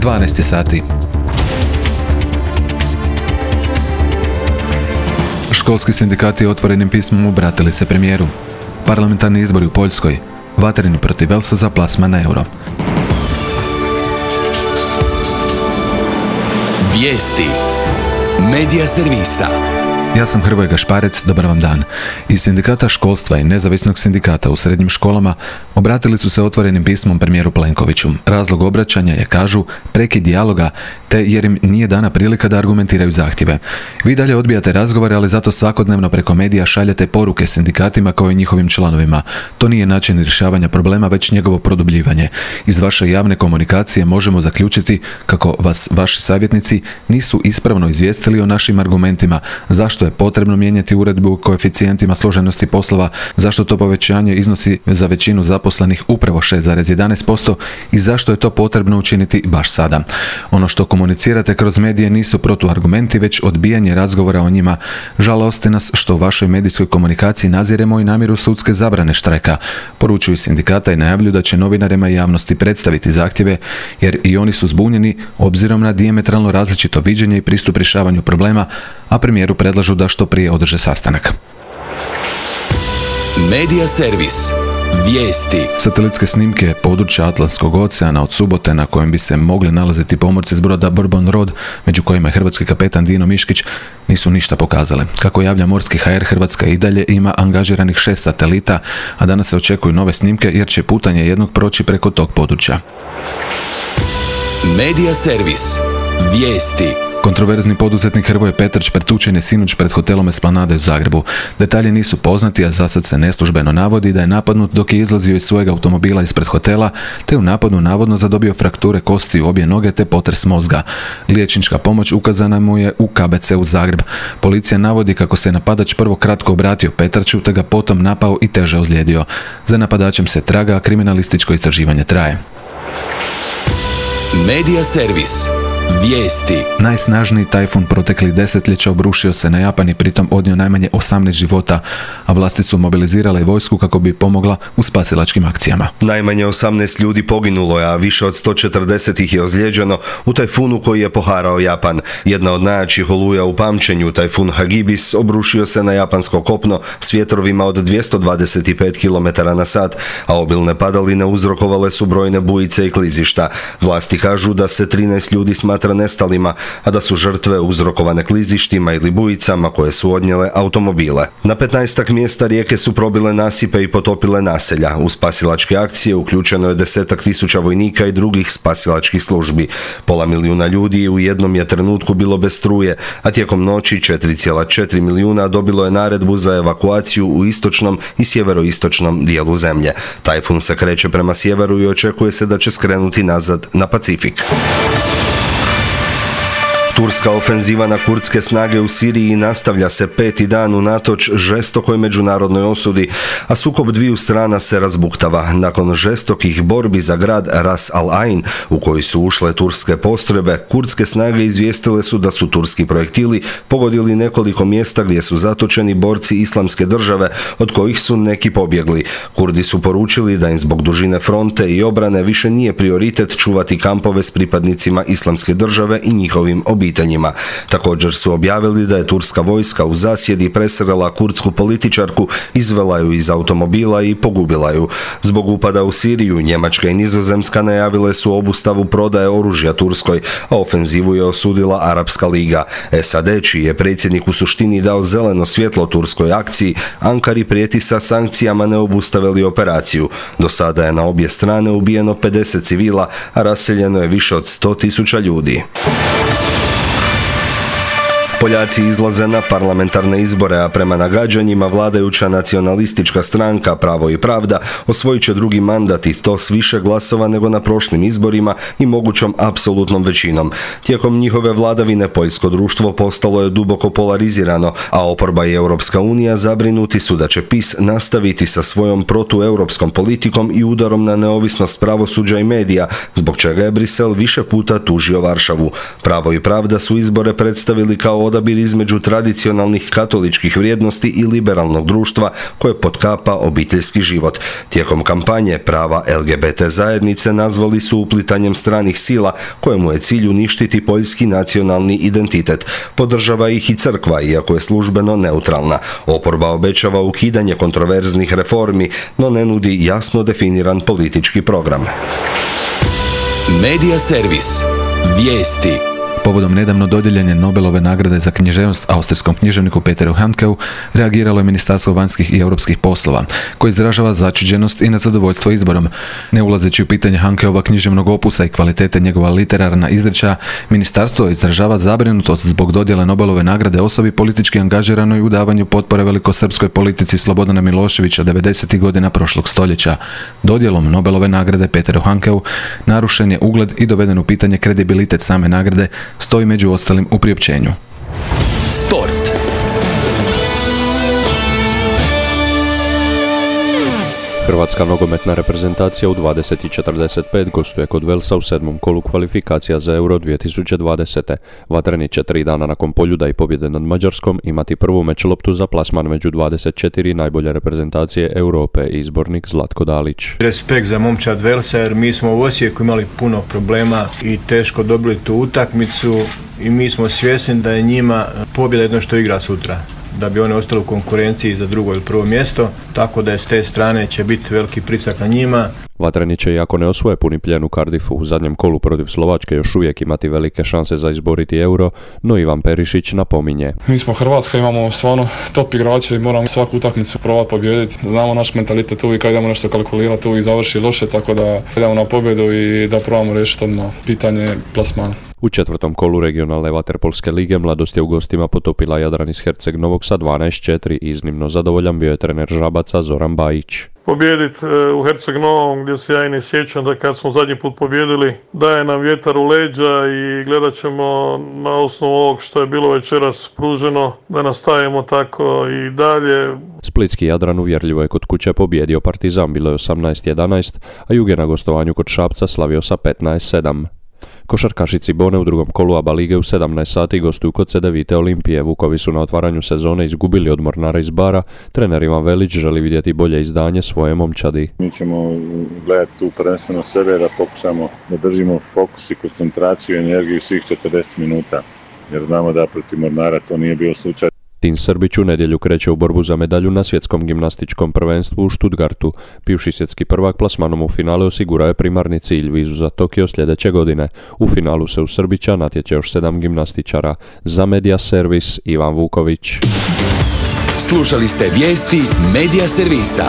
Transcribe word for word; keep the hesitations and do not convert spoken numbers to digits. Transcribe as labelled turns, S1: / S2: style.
S1: dvanaest sati. Školski sindikati otvorenim pismom obratili se premijeru. Parlamentarni izbori u Poljskoj. Vatreni protiv Velsa za plasman na euro.
S2: Vijesti Medija servisa.
S1: Ja sam Hrvoje Gašparec, dobar vam dan. Iz sindikata školstva i nezavisnog sindikata u srednjim školama obratili su se otvorenim pismom premijeru Plenkoviću. Razlog obraćanja je, kažu, prekid dijaloga, te jer im nije dana prilika da argumentiraju zahtjeve. Vi dalje odbijate razgovore, ali zato svakodnevno preko medija šaljete poruke sindikatima kao i njihovim članovima. To nije način rješavanja problema, već njegovo produbljivanje. Iz vaše javne komunikacije možemo zaključiti kako vas vaši savjetnici nisu ispravno izvijestili o našim argumentima, zašto je potrebno mijenjati uredbu o koeficijentima složenosti poslova, zašto to povećanje iznosi za većinu zaposlenih upravo šest zarez jedanaest posto i zašto je to potrebno učiniti baš sada. Ono što komunicirate kroz medije nisu protuargumenti, već odbijanje razgovora o njima. Žalosti nas što u vašoj medijskoj komunikaciji naziremo i namjeru sudske zabrane štrajka. Poručuju sindikata i najavljuju da će novinarima i javnosti predstaviti zahtjeve, jer i oni su zbunjeni obzirom na dijametralno različito viđenje i pristup rješavanju problema, a premijeru predlažu da što prije održe sastanak.
S2: Medija servis. Vijesti.
S1: Satelitske snimke područja Atlantskog oceana od subote na kojem bi se mogli nalaziti pomorci s broda Bourbon Road, među kojima je hrvatski kapetan Dino Miškić, nisu ništa pokazale. Kako javlja Morski ha er, Hrvatska i dalje ima angažiranih šest satelita, a danas se očekuju nove snimke jer će putanje jednog proći preko tog područja.
S2: Medija servis. Vijesti.
S1: Kontroverzni poduzetnik Hrvoje Petrč pretučen je sinoć pred hotelom Esplanade u Zagrebu. Detalji nisu poznati, a zasad se neslužbeno navodi da je napadnut dok je izlazio iz svojeg automobila ispred hotela, te u napadu navodno zadobio frakture kosti u obje noge te potres mozga. Liječnička pomoć ukazana mu je u ka be ce u Zagreb. Policija navodi kako se napadač prvo kratko obratio Petrču, te ga potom napao i teže ozlijedio. Za napadačem se traga, a kriminalističko istraživanje traje.
S2: Medija servis. Vijesti.
S1: Najsnažniji tajfun proteklih desetljeća obrušio se na Japan i pritom odnio najmanje osamnaest života, a vlasti su mobilizirale i vojsku kako bi pomogla u spasilačkim akcijama.
S3: Najmanje osamnaest ljudi poginulo je, a više od sto četrdeset ih je ozlijeđeno u tajfunu koji je poharao Japan. Jedna od najjačih oluja u pamćenju, tajfun Hagibis, obrušio se na japansko kopno s vjetrovima od dvjesto dvadeset pet kilometara na sat, a obilne padaline uzrokovale su brojne bujice i klizišta. Vlasti kažu da se trinaest ljudi smatra nestalima, a da su žrtve uzrokovane klizištima ili bujicama koje su odnijele automobile. Na petnaestak mjesta rijeke su probile nasipe i potopile naselja. U spasilačke akcije uključeno je desetak tisuća vojnika i drugih spasilačkih službi. Pola milijuna ljudi u jednom je trenutku bilo bez struje, a tijekom noći četiri zarez četiri milijuna dobilo je naredbu za evakuaciju u istočnom i sjeveroistočnom dijelu zemlje. Tajfun se kreće prema sjeveru i očekuje se da će skrenuti nazad na Pacifik. Turska ofenziva na kurdske snage u Siriji nastavlja se peti dan unatoč žestokoj međunarodnoj osudi, a sukob dviju strana se razbuktava. Nakon žestokih borbi za grad Ras al-Ain, u koji su ušle turske postrojbe, kurdske snage izvijestile su da su turski projektili pogodili nekoliko mjesta gdje su zatočeni borci Islamske države, od kojih su neki pobjegli. Kurdi su poručili da im zbog dužine fronte i obrane više nije prioritet čuvati kampove s pripadnicima Islamske države i njihovim obiteljima. pitanjima. Također su objavili da je turska vojska u zasjedi presrela kurdsku političarku, izvela ju iz automobila i pogubila ju. Zbog upada u Siriju, Njemačka i Nizozemska najavile su obustavu prodaje oružja Turskoj, a ofenzivu je osudila Arapska liga. es a de, čiji je predsjednik u suštini dao zeleno svjetlo turskoj akciji, Ankari prijeti sa sankcijama ne obustave li operaciju. Do sada je na obje strane ubijeno pedeset civila, a raseljeno je više od sto tisuća ljudi. Poljaci izlaze na parlamentarne izbore, a prema nagađanjima vladajuća nacionalistička stranka Pravo i pravda osvojit će drugi mandat i to s više glasova nego na prošlim izborima i mogućom apsolutnom većinom. Tijekom njihove vladavine poljsko društvo postalo je duboko polarizirano, a oporba i Europska unija zabrinuti su da će PiS nastaviti sa svojom protueuropskom politikom i udarom na neovisnost pravosuđa i medija, zbog čega je Brisel više puta tužio Varšavu. Pravo i pravda su izbore predstavili kao odabir odabir između tradicionalnih katoličkih vrijednosti i liberalnog društva koje potkapa obiteljski život. Tijekom kampanje prava L G B T zajednice nazvali su uplitanjem stranih sila kojemu je cilj uništiti poljski nacionalni identitet. Podržava ih i crkva, iako je službeno neutralna. Oporba obećava ukidanje kontroverznih reformi, no ne nudi jasno definiran politički program.
S2: Medija servis. Vijesti.
S1: Povodom nedavno dodijeljene Nobelove nagrade za književnost austrijskom književniku Peteru Handkeu reagiralo je Ministarstvo vanjskih i europskih poslova, koje izražava začuđenost i nezadovoljstvo izborom. Ne ulazeći u pitanje Handkeova književnog opusa i kvalitete njegova literarna izrečaja, ministarstvo izražava zabrinutost zbog dodjele Nobelove nagrade osobi politički angažiranoj u davanju potpore velikosrpskoj politici Slobodana Miloševića devedesetih godina prošlog stoljeća. Dodjelom Nobelove nagrade Peteru Handkeu narušen je ugled i doveden u pitanje kredibilitet same nagrade, stoji među ostalim u priopćenju.
S2: Sport.
S4: Hrvatska nogometna reprezentacija u dvadeset i četrdeset pet gostuje kod Velsa u sedmom kolu kvalifikacija za Euro dvije tisuće dvadesete. Vatreni će tri dana nakon Poljuda i pobjede nad Mađarskom imati prvu meč loptu za plasman među dvadeset četiri najbolje reprezentacije Europe, izbornik Zlatko Dalić.
S5: Respekt za momčad Velsa jer mi smo u Osijeku imali puno problema i teško dobili tu utakmicu i mi smo svjesni da je njima pobjeda jedno što igra sutra, da bi one ostale u konkurenciji za drugo ili prvo mjesto, tako da je s te strane će biti veliki pritisak na njima.
S4: Vatreni će, iako ne osvoje puni plijen u Cardiffu u zadnjem kolu protiv Slovačke, još uvijek imati velike šanse za izboriti Euro, no Ivan Perišić napominje.
S6: Mi smo Hrvatska, imamo stvarno top igrače i moramo svaku utakmicu probati pobijediti. Znamo naš mentalitet, uvijek kad idemo nešto kalkulirati, uvijek završi loše, tako da idemo na pobjedu i da probamo riješiti odmah pitanje plasmana.
S4: U četvrtom kolu regionalne vaterpolske lige Mladost je u gostima potopila Jadran iz Herceg Novog sa dvanaest četiri. Iznimno zadovoljan bio je trener Žabaca Zoran Bajić.
S7: Pobijediti u Herceg Novom, gdje se ja i ne sjećam da kad smo zadnji put pobijedili, daje nam vjetar u leđa i gledat ćemo na osnovu ovog što je bilo večeras pruženo da nastavimo tako i dalje.
S4: Splitski Jadran uvjerljivo je kod kuće pobijedio Partizan, bilo je osamnaest jedanaest, a Jug je na gostovanju kod Šapca slavio sa petnaest sedam. Košarkaši Cibone u drugom kolu A B A lige u sedamnaest sati gostuju kod Cedevite Olimpije. Vukovi su na otvaranju sezone izgubili od Mornara iz Bara. Trener Ivan Velić želi vidjeti bolje izdanje svoje momčadi.
S8: Mi ćemo gledati tu prvenstveno sebe da pokušamo da držimo fokus i koncentraciju i energiju svih četrdeset minuta, jer znamo da protiv Mornara to nije bio slučaj.
S4: Tin Srbić u nedjelju kreće u borbu za medalju na svjetskom gimnastičkom prvenstvu u Stuttgartu. Bivši svjetski prvak plasmanom u finale osigurao je primarni cilj, vizu za Tokio sljedeće godine. U finalu se u Srbića natječe još sedam gimnastičara. Za Medija servis Ivan Vuković.
S2: Slušali ste vijesti Medija servisa.